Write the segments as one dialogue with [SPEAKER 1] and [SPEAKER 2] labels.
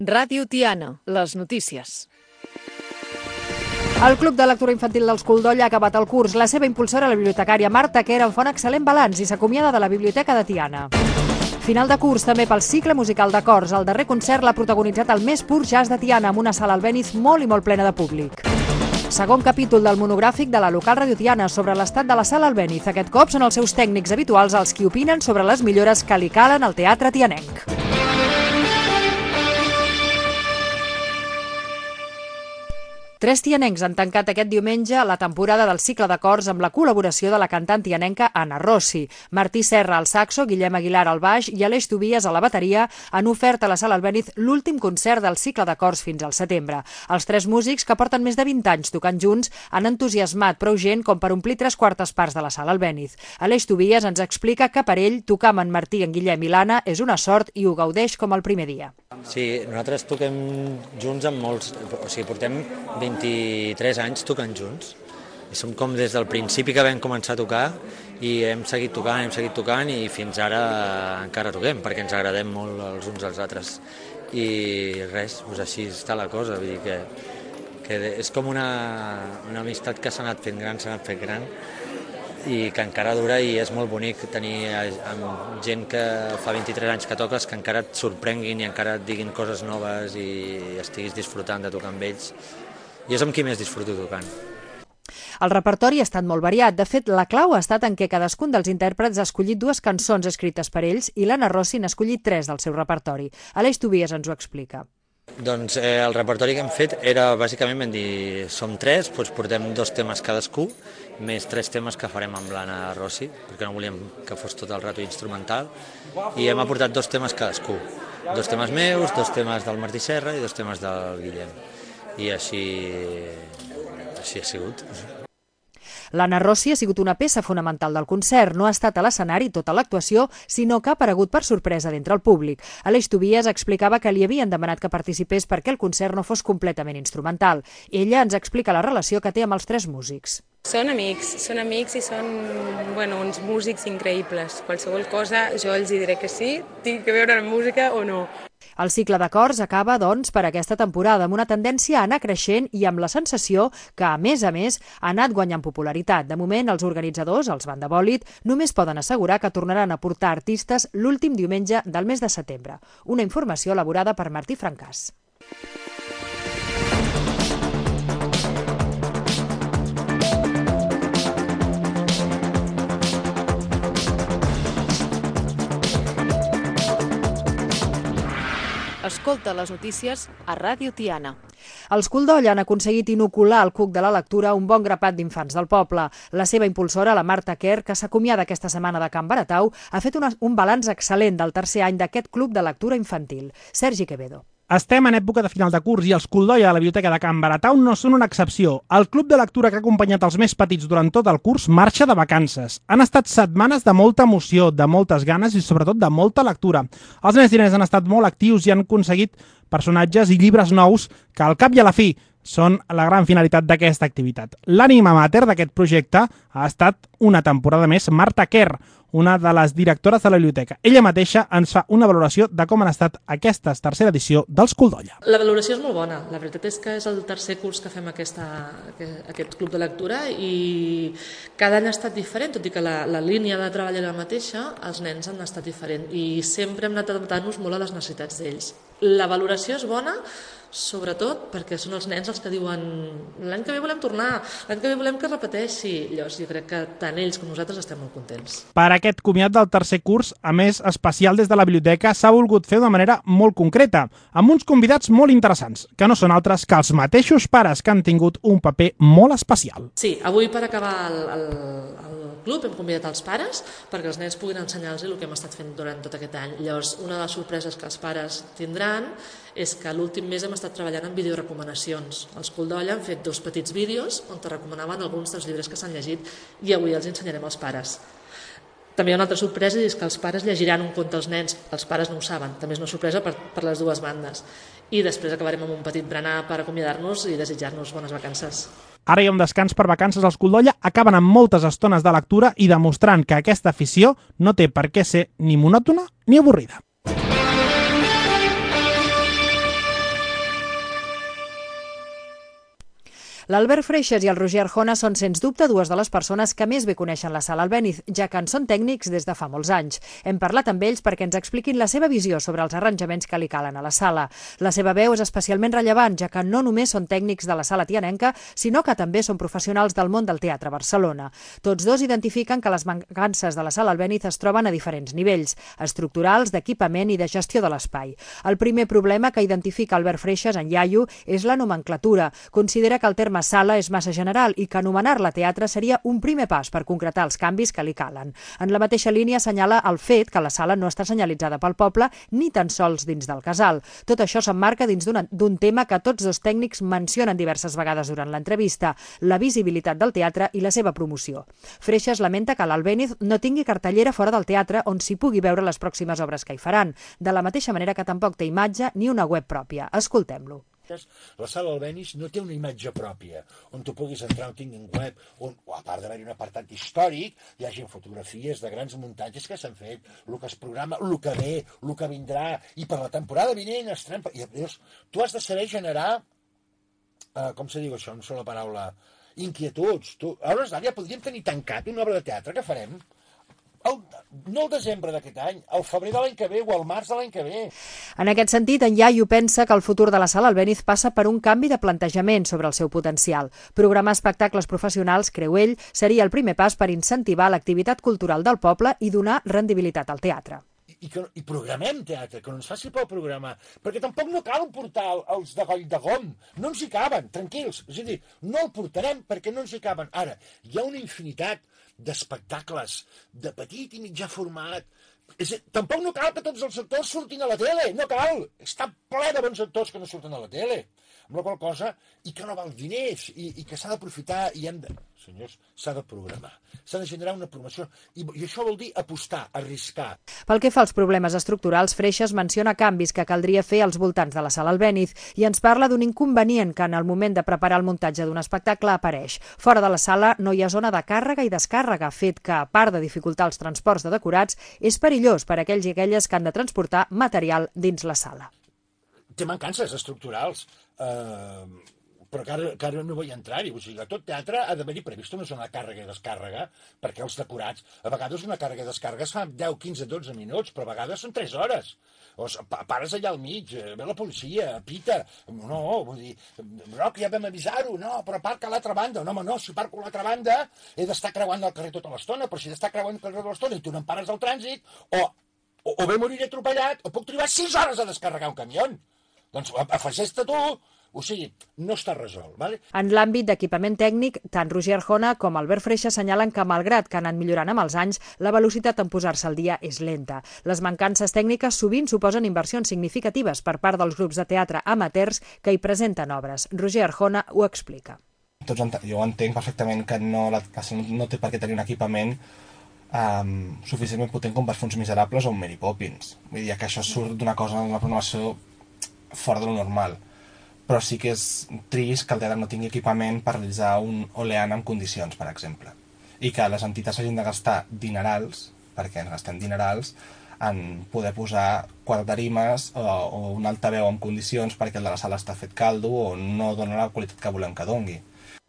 [SPEAKER 1] Ràdio Tiana, les notícies.
[SPEAKER 2] El Club de Lectura Infantil d'Escoldoll ha acabat el curs. La seva impulsora, la bibliotecària Marta Quer, en fa un excel·lent balanç i s'acomiada de la Biblioteca de Tiana. Final de curs també pel cicle musical de cors. El darrer concert l'ha protagonitzat el més pur jazz de Tiana, amb una sala Albéniz molt i molt plena de públic. Segon capítol del monogràfic de la local Ràdio Tiana sobre l'estat de la sala Albéniz. Aquest cop són els seus tècnics habituals els qui opinen sobre les millores que li calen al teatre tianenc. Tres tianencs han tancat aquest diumenge la temporada del cicle de cors amb la col·laboració de la cantant tianenca Anna Rossi. Martí Serra al saxo, Guillem Aguilar al baix i Aleix Tobias a la bateria han ofert a la sala Albéniz l'últim concert del cicle de cors fins al setembre. Els tres músics, que porten més de 20 anys tocant junts, han entusiasmat prou gent com per omplir 3/4 parts de la sala Albéniz. Aleix Tobias ens explica que per ell tocar amb en Martí, en Guillem i l'Anna és una sort i ho gaudeix com el primer dia.
[SPEAKER 3] Sí, nosaltres toquem junts amb molts... O sigui, portem 23 anys tocant junts. I som com des del principi que vam començar a tocar i hem seguit tocant i fins ara encara toquem, perquè ens agradem molt els uns als altres. I res, doncs així està la cosa. Vull dir que és com una amistat que s'ha anat fent gran, i que encara dura, i és molt bonic tenir amb gent que fa 23 anys que toques, que encara et sorprenguin i encara et diguin coses noves i estiguis disfrutant de tocar amb ells. Jo és amb qui més disfruto tocant.
[SPEAKER 2] El repertori ha estat molt variat. De fet, la clau ha estat en què cadascun dels intèrprets ha escollit 2 cançons escrites per ells i l'Anna Rossi n'ha escollit 3 del seu repertori. Aleix Tobias ens ho explica.
[SPEAKER 3] Doncs el repertori que hem fet era, bàsicament, vam dir, som 3, doncs portem 2 temes cadascú, més 3 temes que farem amb l'Anna Rossi, perquè no volíem que fos tot el rato instrumental, i hem aportat 2 temes cadascú. 2 temes meus, 2 temes del Martí Serra i 2 temes del Guillem. I així ha sigut.
[SPEAKER 2] L'Anna Rossi ha sigut una peça fonamental del concert. No ha estat a l'escenari tota l'actuació, sinó que ha aparegut per sorpresa d'entre el públic. Aleix Tobias explicava que li havien demanat que participés perquè el concert no fos completament instrumental. Ella ens explica la relació que té amb els 3 músics.
[SPEAKER 4] Són amics i són uns músics increïbles. Qualsevol cosa jo els diré que sí, tinc que veure la música o no.
[SPEAKER 2] El cicle de cors acaba, doncs, per aquesta temporada, amb una tendència a anar creixent i amb la sensació que, a més, ha anat guanyant popularitat. De moment, els organitzadors, els Banda Bòlit, només poden assegurar que tornaran a portar artistes l'últim diumenge del mes de setembre. Una informació elaborada per Martí Francàs.
[SPEAKER 1] Escolta les notícies a Ràdio Tiana.
[SPEAKER 2] Els Escoldoll han aconseguit inocular al cuc de la lectura un bon grapat d'infants del poble. La seva impulsora, la Marta Quer, que s'acomiada aquesta setmana de Can Baratau, ha fet un balanç excel·lent del tercer any d'aquest club de lectura infantil. Sergi Quevedo.
[SPEAKER 5] Estem en època de final de curs i els Escoldoll a la Biblioteca de Can Baratau no són una excepció. El club de lectura que ha acompanyat els més petits durant tot el curs marxa de vacances. Han estat setmanes de molta emoció, de moltes ganes i sobretot de molta lectura. Els nens i nenes han estat molt actius i han aconseguit personatges i llibres nous que al cap i a la fi són la gran finalitat d'aquesta activitat. L'ànima mater d'aquest projecte ha estat una temporada més Marta Quer, una de les directores de la biblioteca. Ella mateixa ens fa una valoració de com han estat aquesta tercera edició dels Escoldoll.
[SPEAKER 6] La valoració és molt bona. La veritat és que és el tercer curs que fem aquest club de lectura i cada any ha estat diferent, tot i que la línia de treball era la mateixa, els nens han estat diferents i sempre hem anat adaptant-nos molt a les necessitats d'ells. La valoració és bona, sobretot perquè són els nens els que diuen l'any que ve volem tornar, l'any que ve volem que es repeteixi. Llavors jo crec que tant ells com nosaltres estem molt contents.
[SPEAKER 5] Per aquest comiat del tercer curs, a més especial des de la biblioteca, s'ha volgut fer d'una manera molt concreta, amb uns convidats molt interessants, que no són altres que els mateixos pares que han tingut un paper molt especial.
[SPEAKER 6] Sí, avui per acabar el club hem convidat els pares perquè els nens puguin ensenyar-los el que hem estat fent durant tot aquest any. Llavors, una de les sorpreses que els pares tindran és que l'últim mes hem estat treballant en videorecomanacions. Els Escoldoll han fet 2 petits vídeos on te recomanaven alguns dels llibres que s'han llegit i avui els ensenyarem als pares. També hi ha una altra sorpresa i és que els pares llegiran un conte als nens. Els pares no ho saben, també és una sorpresa per les dues bandes. I després acabarem amb un petit berenar per acomiadar-nos i desitjar-nos bones vacances.
[SPEAKER 5] Ara hi ha un descans per vacances als Escoldoll, acaben amb moltes estones de lectura i demostrant que aquesta afició no té per què ser ni monòtona ni avorrida.
[SPEAKER 2] L'Albert Freixas i el Roger Arjona són, sens dubte, dues de les persones que més bé coneixen la Sala Albéniz, ja que en són tècnics des de fa molts anys. Hem parlat amb ells perquè ens expliquin la seva visió sobre els arranjaments que li calen a la sala. La seva veu és especialment rellevant, ja que no només són tècnics de la Sala Tianenca, sinó que també són professionals del món del teatre a Barcelona. Tots dos identifiquen que les mancances de la Sala Albéniz es troben a diferents nivells, estructurals, d'equipament i de gestió de l'espai. El primer problema que identifica Albert Freixas, en iaio, és la nomenclatura. Considera que el terme sala és massa general i que anomenar-la teatre seria un primer pas per concretar els canvis que li calen. En la mateixa línia assenyala el fet que la sala no està senyalitzada pel poble ni tan sols dins del casal. Tot això s'emmarca dins d'un tema que tots dos tècnics mencionen diverses vegades durant l'entrevista, la visibilitat del teatre i la seva promoció. Freixas lamenta que l'Albéniz no tingui cartellera fora del teatre on s'hi pugui veure les pròximes obres que hi faran, de la mateixa manera que tampoc té imatge ni una web pròpia. Escoltem-lo.
[SPEAKER 7] La Sala Albéniz no té una imatge pròpia on tu puguis entrar, on tinguin web, on, a part d'haver-hi un apartat històric, hi hagi fotografies de grans muntatges que s'han fet, el que es programa, el que ve, el que vindrà, i per la temporada vinent i llavors tu has de saber generar, com se diu això, no sé la paraula, inquietuds. A hores d'ara ja podríem tenir tancat una obra de teatre que farem no el desembre d'aquest any, al febrer de l'any que ve o al març de l'any que ve.
[SPEAKER 2] En aquest sentit, en iaio pensa que el futur de la Sala Albéniz passa per un canvi de plantejament sobre el seu potencial. Programar espectacles professionals, creu ell, seria el primer pas per incentivar l'activitat cultural del poble i donar rendibilitat al teatre.
[SPEAKER 7] I programem teatre, que no ens faci por programar, perquè tampoc no cal portar els de Coll de Gom, no ens hi caben, tranquils, és a dir, no el portarem perquè no ens hi caben. Ara, hi ha una infinitat d'espectacles de petit i mitjà format, tampoc no cal que tots els actors surtin a la tele, no cal, està ple de bons actors que no surten a la tele, amb la qual cosa, i que no val diners, i que s'ha d'aprofitar, i hem de... Senyors, s'ha de programar, s'ha de generar una promoció, i això vol dir apostar, arriscar.
[SPEAKER 2] Pel que fa als problemes estructurals, Freixas menciona canvis que caldria fer als voltants de la Sala Albéniz i ens parla d'un inconvenient que en el moment de preparar el muntatge d'un espectacle apareix. Fora de la sala no hi ha zona de càrrega i descàrrega, fet que, a part de dificultar els transports de decorats, és perillós per a aquells i aquelles que han de transportar material dins la sala.
[SPEAKER 7] Té mancances estructurals, però que ara no vull entrar-hi. O sigui, a tot teatre ha d'haver-hi previst una zona de càrrega i descàrrega, perquè els decorats, a vegades una càrrega i descàrrega es fa 10, 15, 12 minuts, però a vegades són 3 hores. O pares allà al mig, ve la policia, pita, no, vull dir, Roc, ja vam avisar-ho, no, però aparca a l'altra banda, no, home, no, si parco a l'altra banda he d'estar creuant el carrer tota l'estona, però si d'estar creuant el carrer tota l'estona i tu no em pares al trànsit, o bé moriré atropellat, o puc trigar 6 hores a descarregar un camió. Doncs afegeix-te tu. O sigui, no està resolt. ¿Vale?
[SPEAKER 2] En l'àmbit d'equipament tècnic, tant Roger Arjona com Albert Freixas assenyalen que, malgrat que han anat millorant amb els anys, la velocitat en posar-se al dia és lenta. Les mancances tècniques sovint suposen inversions significatives per part dels grups de teatre amateurs que hi presenten obres. Roger Arjona ho explica.
[SPEAKER 8] Jo entenc perfectament que no té per què tenir un equipament suficientment potent com per fer uns Miserables o un Mary Poppins. Vull dir que això surt d'una cosa, d'una programació fora de lo normal. Però sí que és trist que el teatre no tingui equipament per realitzar un Oleana en condicions, per exemple. I que les entitats hagin de gastar dinerals, perquè ens gastem dinerals, en poder posar 4 tarimes o un altaveu en condicions perquè el de la sala està fet caldo o no dona la qualitat que volem que dongui.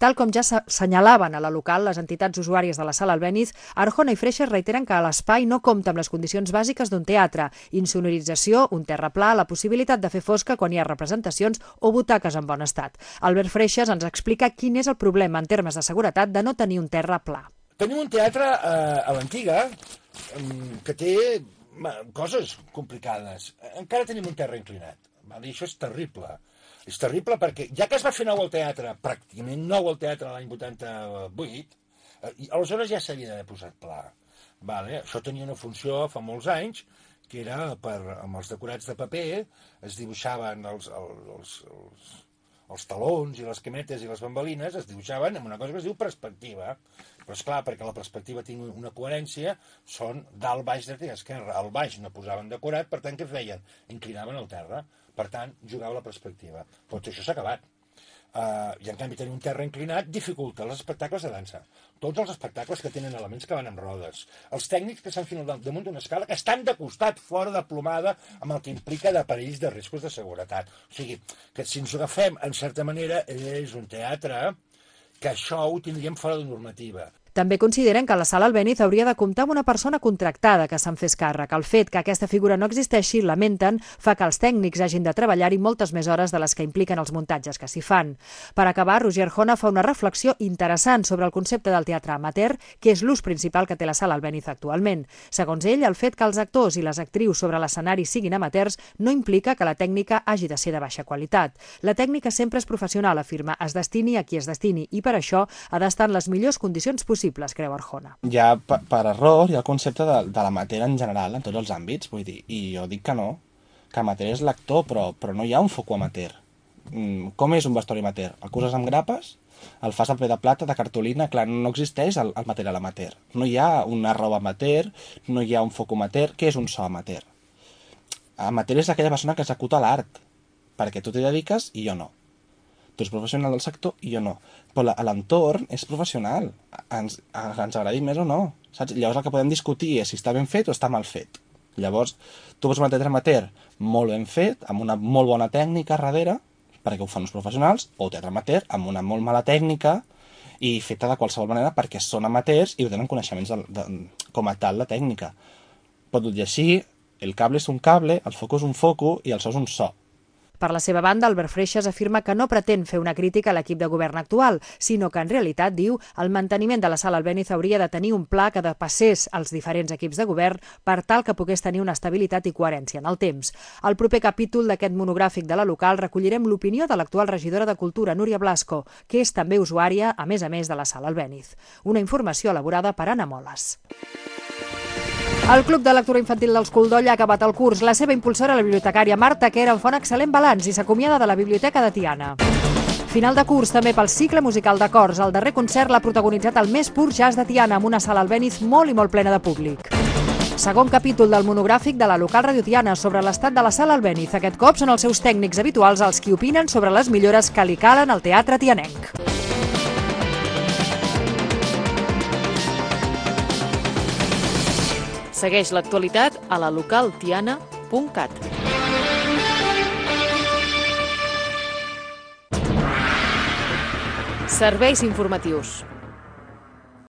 [SPEAKER 2] Tal com ja s'assenyalaven a la local les entitats usuàries de la Sala Albéniz, Arjona i Freixas reiteren que l'espai no compta amb les condicions bàsiques d'un teatre: insonorització, un terra pla, la possibilitat de fer fosca quan hi ha representacions o butaques en bon estat. Albert Freixas ens explica quin és el problema en termes de seguretat de no tenir un terra pla.
[SPEAKER 7] Tenim un teatre a l'antiga que té coses complicades. Encara tenim un terra inclinat. I això és terrible. És terrible perquè, ja que es va fer nou al teatre, pràcticament nou al teatre l'any 88, aleshores ja s'havia d'haver posat pla. Això tenia una funció fa molts anys, que era amb els decorats de paper, es dibuixaven els talons i les cametes i les bambalines, es dibuixaven amb una cosa que es diu perspectiva. Però esclar, perquè la perspectiva tingui una coherència, són dalt, baix, dreta i esquerra. Al baix no posaven decorat, per tant, què feien? Inclinaven el terra. Per tant, jugava la perspectiva. Però tot això s'ha acabat. I en canvi tenir un terra inclinat dificulta els espectacles de dansa. Tots els espectacles que tenen elements que van amb rodes. Els tècnics que s'han fet damunt d'una escala que estan de costat, fora de plomada, amb el que implica de perills de riscos de seguretat. O sigui, que si ens ho agafem, en certa manera, és un teatre que això ho tindríem fora de normativa.
[SPEAKER 2] També consideren que la Sala Albéniz hauria de comptar amb una persona contractada que se'n fes càrrec. El fet que aquesta figura no existeixi, lamenten, fa que els tècnics hagin de treballar-hi moltes més hores de les que impliquen els muntatges que s'hi fan. Per acabar, Roger Jona fa una reflexió interessant sobre el concepte del teatre amateur, que és l'ús principal que té la Sala Albéniz actualment. Segons ell, el fet que els actors i les actrius sobre l'escenari siguin amateurs no implica que la tècnica hagi de ser de baixa qualitat. La tècnica sempre és professional, afirma, es destini a qui es destini, i per això ha d'estar en les millors condicions possibles, creu Arjona.
[SPEAKER 8] Ja per error hi ha el concepte de l'amateur en general, en tots els àmbits, vull dir, i jo dic que no, que amateur és l'actor, però no hi ha un foco amateur. Com és un vestuari amateur? El coses amb grapes, el fas a paper de plata, de cartolina, clar, no existeix el material amateur. No hi ha una roba amateur, no hi ha un foco amateur. Què és un so amateur? Amateur és aquella persona que executa l'art, perquè tu t'hi dediques i jo no. Tu ets professional del sector i jo no. Però l'entorn és professional. Ens agradi més o no. Saps? Llavors el que podem discutir és si està ben fet o està mal fet. Llavors, tu pots un teatre amateur molt ben fet, amb una molt bona tècnica darrere, perquè ho fan uns professionals, o teatre amateur amb una molt mala tècnica i feta de qualsevol manera perquè són amateurs i ho tenen coneixements com a tal la tècnica. Pot dir així, el cable és un cable, el foco és un foco i el so és un so.
[SPEAKER 2] Per la seva banda, Albert Freixas afirma que no pretén fer una crítica a l'equip de govern actual, sinó que en realitat, diu, el manteniment de la Sala Albéniz hauria de tenir un pla que depassés els diferents equips de govern per tal que pogués tenir una estabilitat i coherència en el temps. Al proper capítol d'aquest monogràfic de la local recollirem l'opinió de l'actual regidora de Cultura, Núria Blasco, que és també usuària, a més, de la Sala Albéniz. Una informació elaborada per Anna Moles. El Club de Lectura Infantil dels Coldoll ha acabat el curs. La seva impulsora, la bibliotecària Marta Quer, en fa un excel·lent balanç i s'acomiada de la Biblioteca de Tiana. Final de curs també pel cicle musical de cors. El darrer concert l'ha protagonitzat el més pur jazz de Tiana, amb una sala Albéniz molt i molt plena de públic. Segon capítol del monogràfic de la local Radio Tiana sobre l'estat de la sala Albéniz. Aquest cop són els seus tècnics habituals els qui opinen sobre les millores que li calen al teatre tianenc.
[SPEAKER 1] Segueix l'actualitat a la localtiana.cat. Serveis informatius.